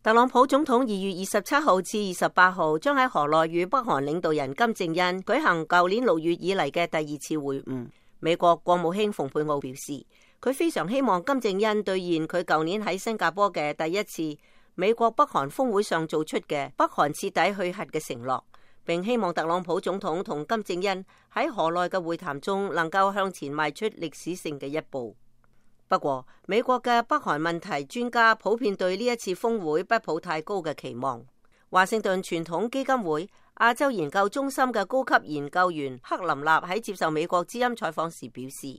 特朗普總統2月27號至28號將喺河內與北韓領導人金正恩舉行舊年6月以嚟嘅第2次會晤。美國國務卿蓬佩奧表示，佢非常希望金正恩兌現佢舊年喺新加坡嘅第一次美國北韓峰會上做出嘅北韓徹底去核嘅承諾，並希望特朗普總統同金正恩喺河內嘅會談中能夠向前邁出歷史性嘅一步。不過，美國嘅北韓問題專家普遍對呢一次峰會不抱太高嘅期望。華盛頓傳統基金會亞洲研究中心嘅高級研究員克林納喺接受美國之音採訪時表示，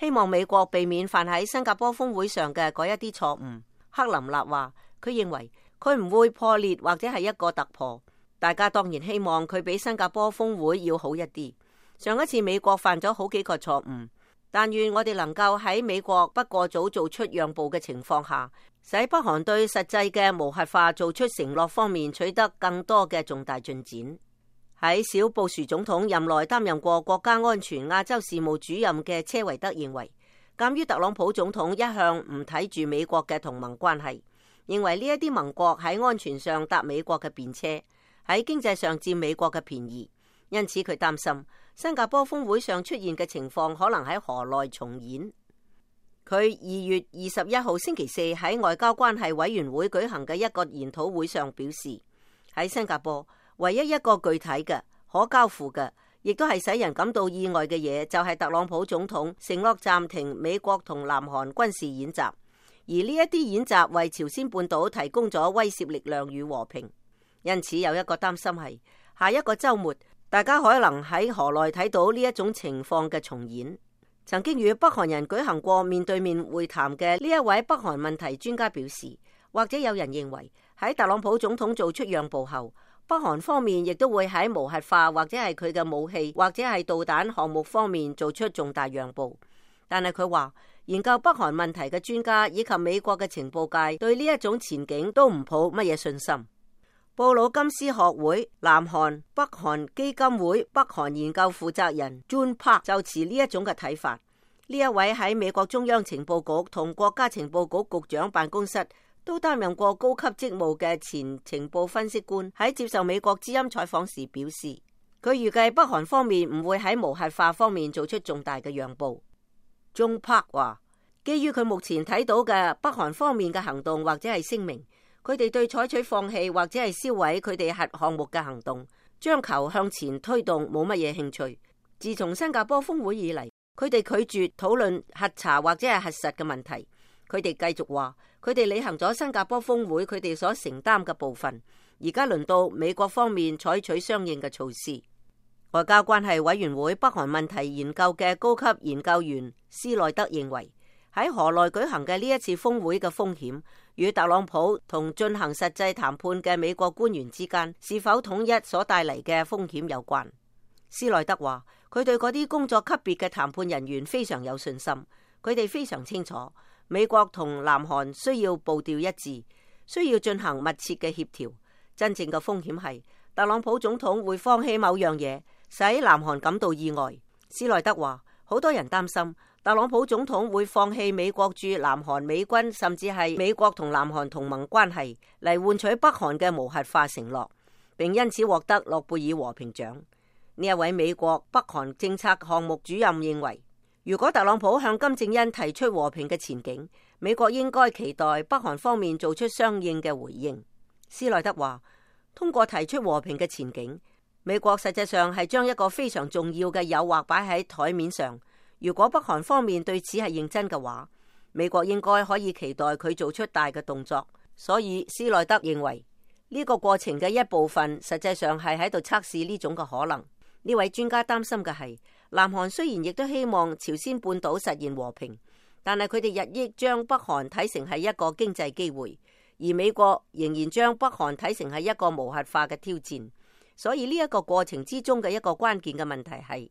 希望美國避免犯喺新加坡峰會上嘅嗰一啲錯誤。克林納話，佢認為佢唔會破裂或者係一個突破。大家當然希望佢比新加坡峰會要好一啲。上一次美國犯咗好幾個錯誤。但願我哋能夠喺美國不過早做出讓步嘅情況下，使北韓對實際嘅無核化做出承諾方面取得更多嘅重大進展。喺小布殊總統任內擔任過國家安全亞洲事務主任嘅車維德認為，鑒於特朗普總統一向唔睇住美國嘅同盟關係，認為呢一啲盟國喺安全上搭美國嘅便車，喺經濟上佔美國嘅便宜，因此佢擔心新加坡峰會上出現嘅情況可能喺河內重演。佢2月21號星期四喺外交關係委員會舉行嘅一個研討會上表示，喺新加坡唯一一個具體嘅可交付嘅，亦都係使人感到意外嘅嘢，就係特朗普總統承諾暫停美國同南韓軍事演習，而呢一啲演習為朝鮮半島提供咗威懾力量與和平。因此有一個擔心係下一個週末，大家可能喺河內睇到呢一種情況嘅重演。曾經與北韓人舉行過面對面會談嘅呢一位北韓問題專家表示，或者有人認為喺特朗普總統做出讓步後，北韓方面亦都會喺無核化或者係佢嘅武器或者係導彈項目方面做出重大讓步。但係佢話，研究北韓問題嘅專家以及美國嘅情報界對呢一種前景都唔抱乜嘢信心。布魯金斯學會南韓北韓基金會北韓研究負責人 Jun Park 就持呢一種嘅睇法。呢一位喺美國中央情報局同國家情報局局長辦公室都擔任過高級職務嘅前情報分析官喺接受美國之音採訪時表示，佢預計北韓方面唔會喺無核化方面做出重大嘅讓步。Jun Park 話，基於佢目前睇到嘅北韓方面嘅行動或者係聲明，佢哋對採取放棄或者係銷毀佢哋核項目嘅行動，將球向前推動冇乜嘢興趣。自從新加坡峰會以嚟，佢哋拒絕討論核查或者係核實嘅問題。佢哋繼續話，佢哋履行咗新加坡峰會佢哋所承擔嘅部分，而家輪到美國方面採取相應嘅措施。外交關係委員會北韓問題研究嘅高級研究員斯內德認為，喺河內舉行嘅呢一次峰會嘅風險與特朗普同進行實際談判嘅美國官員之間是否統一所帶嚟嘅風險有關。斯內德話，佢對嗰啲工作級別嘅談判人員非常有信心，佢哋非常清楚美國同南韓需要步調一致，需要進行密切嘅協調。真正嘅風險係特朗普總統會放棄某樣嘢，使南韓感到意外。斯內德話，好多人擔心特朗普總統會放棄美國駐南韓美軍，甚至係美國同南韓同盟關係，嚟換取北韓嘅無核化承諾，並因此獲得諾貝爾和平獎。呢一位美國北韓政策項目主任認為，如果特朗普向金正恩提出和平嘅前景，美國應該期待北韓方面做出相應嘅回應。斯內德話，通過提出和平嘅前景，美國實際上係將一個非常重要嘅誘惑擺喺台面上。如果北韓方面對此係認真嘅話，美國應該可以期待佢做出大嘅動作。所以斯內德認為呢個過程嘅一部分實際上係喺度測試呢種嘅可能。呢位專家擔心嘅係，南韓雖然亦都希望朝鮮半島實現和平，但係佢哋日益將北韓睇成係一個經濟機會，而美國仍然將北韓睇成係一個無核化嘅挑戰。所以呢一個過程之中嘅一個關鍵嘅問題係，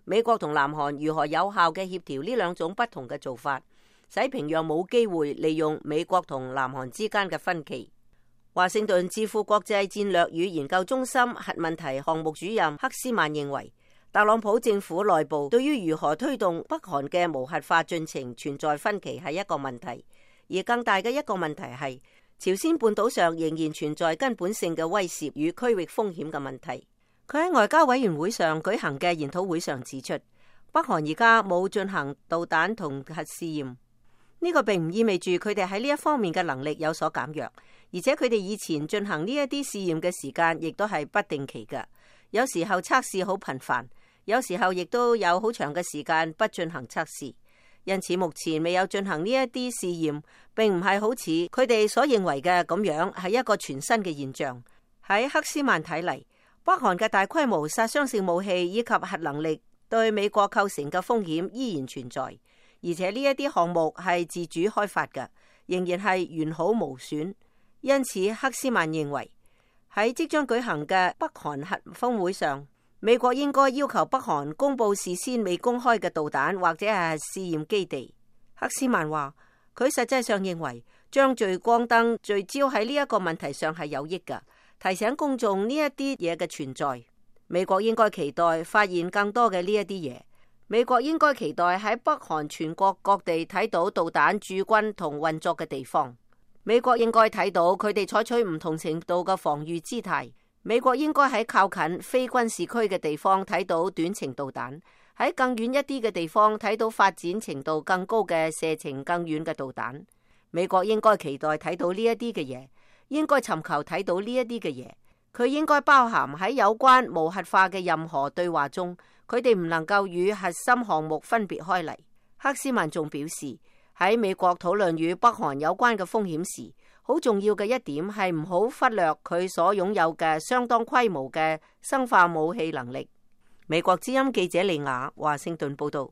美國同南韓如何有效嘅協調呢兩種不同嘅做法，使平壤冇機會利用美國同南韓之間嘅分歧。華盛頓智庫國際戰略與研究中心核問題項目主任克斯曼認為，特朗普政府內部對於如何推動北韓嘅無核化進程存在分歧係一個問題，而更大嘅一個問題係朝鮮半島上仍然存在根本性嘅威懾與區域風險嘅問題。佢喺外交委員會上舉行嘅研討會上指出，北韓而家冇進行導彈同核試驗，呢個並唔意味住佢哋喺呢一方面嘅能力有所減弱，而且佢哋以前進行呢一啲試驗嘅時間亦都係不定期嘅，有時候測試好頻繁，有時候亦都有好長嘅時間不進行測試。因此目前未有進行呢一啲試驗，並唔係好似佢哋所認為嘅咁樣係一個全新嘅現象。喺克斯曼睇嚟，北韓嘅大規模殺傷性武器以及核能力對美國構成嘅風險依然存在，而且呢一啲項目係自主開發嘅，仍然係完好無損。因此克斯曼認為喺即將舉行嘅北韓核峰會上，美國應該要求北韓公布事先未公開嘅導彈或者係試驗基地。克斯曼話，佢實際上認為將聚光燈聚焦喺呢一個問題上係有益㗎，提醒公眾呢一啲嘢嘅存在。美國應該期待發現更多嘅呢一啲嘢。美國應該期待喺北韓全國各地睇到導彈駐軍同運作嘅地方。美國應該睇到佢哋採取唔同程度嘅防禦姿態。美國應該喺靠近非軍事區嘅地方睇到短程導彈，喺更遠一啲嘅地方睇到發展程度更高嘅射程更遠嘅導彈。美國應該期待睇到呢一啲嘅嘢，應該尋求睇到呢一啲嘅嘢。佢應該包含喺有關無核化嘅任何對話中，佢哋唔能夠與核心項目分別開嚟。克斯曼仲表示，喺美國討論與北韓有關嘅風險時，好重要嘅一點係唔好忽略佢所擁有嘅相當規模嘅生化武器能力。美國之音記者利亞華盛頓報道。